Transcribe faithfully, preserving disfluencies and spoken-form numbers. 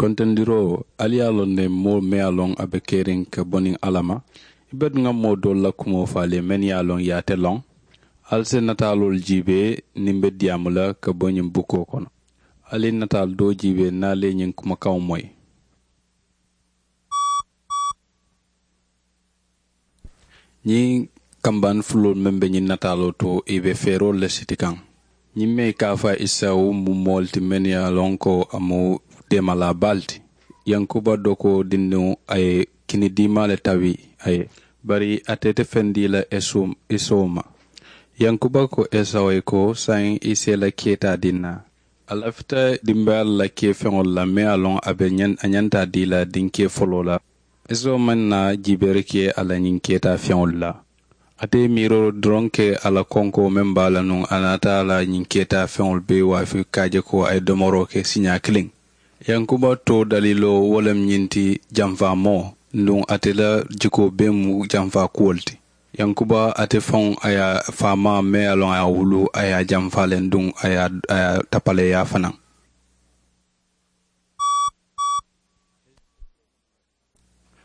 Kontondiroo, ali ye a loŋ ne moo meŋ ye a loŋ a be keriŋ ka bo niŋ alla ma? I be duŋ ŋa moo doolu la kumoo faa le mennu ye a loŋ i ye a te loŋ. Ali si nataaloolu jiibee niŋ be diyaamu la ka bo ñiŋ bukoo kono. Ali ye nataalu doo jiibee niŋ ali ye ñiŋ kumakaŋo moyi. Ñiŋ kambaani fuloolu meŋ be ñiŋ nataaloo to i be feeroolu le siti kaŋ. Ñiŋ meŋ i ka a fo a ye isawu mu moolu ti mennu ye a loŋ ko a mu deemalaa baalu ti. Yankuba dokoo dindiŋo a ye kini diimaa le tabi a ye, bari ate te feŋ dii la isawu ma. Yankuba ko esawu ye ko saayiŋ i si i la kee taa dii n na. A lafita dimbayaa la kee feŋolu la meŋ ye a loŋ a be a ñanta a dii la diŋ kee foloo la. Isawu maŋ naa jiibeeri ke a la ñiŋ kee taa feŋolu la. Ate ye miiroo doroŋ ke a la konkoo meŋ be a la nuŋ a naata a la ñiŋ kee taa feŋolu bee waafi ka a je ko a ye domoroo ke siiñaa kiliŋ. Yankuba too daliiloo wo le mu ñiŋ ti, janfaa moo, nduŋ ate la jikoo bee mu janfaa kuwo le ti. Yankuba ate faŋo a ye a faamaa meŋ ye a loŋ a ye a wuluu a ye a janfaa le nduŋ a ye a tapaleeyaa fanaa.